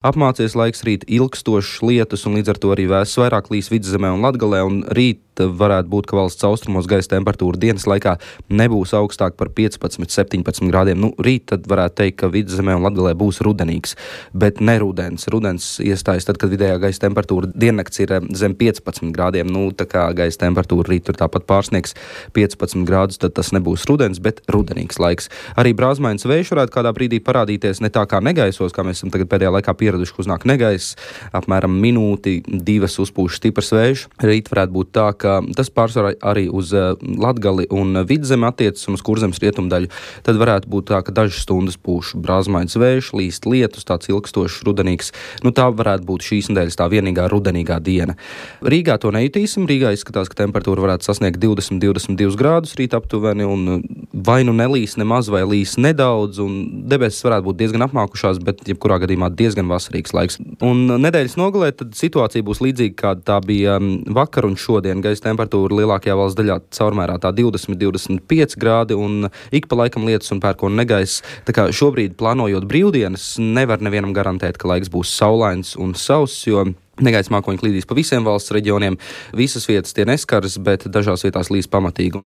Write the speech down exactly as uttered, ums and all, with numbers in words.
Apmācies laiks, rīt ilgstošs lietus, un līdz ar to arī vēss vairāk līs Vidzemē un Latgalē, un rīt varētu būt, ka valsts austrumos gaisa temperatūra dienas laikā nebūs augstāk par piecpadsmit, septiņpadsmit grādiem. Nu, rīt tad varētu teikt, ka Vidzemē un Latgalē būs rudenīgs, bet ne rudens. Rudens iestājas tad, kad vidējā gaisa temperatūra diennakts ir zem piecpadsmit grādiem. Nu, tā kā gaisa temperatūra rīt tur tāpat pārsniegs piecpadsmit grādus, tad tas nebūs rudens, bet rudenīgs laiks. Arī brāzmains vējš varētu kādā brīdī parādīties, ne tā kā negaisos, kā mēs esam tagad pēdējā laikā pieraduši, ka uznāk negaiss, apmēram minūti, divas uzpūš stiprs vējš. Rīt varētu būt tā, ka tas pārsvarā arī uz Latgali un Vidzemi attiecas un uz Kurzemes rietumdaļu. Tad varētu būt tā, ka dažas stundas pūš brāzmains vējš, līst lietus, tāds ilgstošs rudenīgs. Nu, tā varētu būt šīs nedēļas tā vienīgā rudenīgā diena. Rīgā to nejutīsim. Rīgā izskatās, ka temperatūra varētu sasniegt divdesmit, divdesmit divus grādus rīt aptuveni, un vai nu nelīs nemaz, vai līs nedaudz, un debesis varētu būt diezgan apmākušās, bet jebkurā gadījumā diezgan vasarīgs laiks. Un nedēļas nogalē tad situācija būs līdzīga, kāda tā bija vakar un šodien. Gaisa temperatūra lielākajā valsts daļā caurmērā tā divdesmit, divdesmit pieci grādi, un ik pa laikam lietus un pērkona negaiss. Tā kā šobrīd plānojot brīvdienas, nevar nevienam garantēt, ka laiks būs saulains un sauss, jo negaisa mākoņi klīdīs pa visiem valsts reģioniem. Visas vietas tie neskars, bet dažās vietās līs pamatīgi.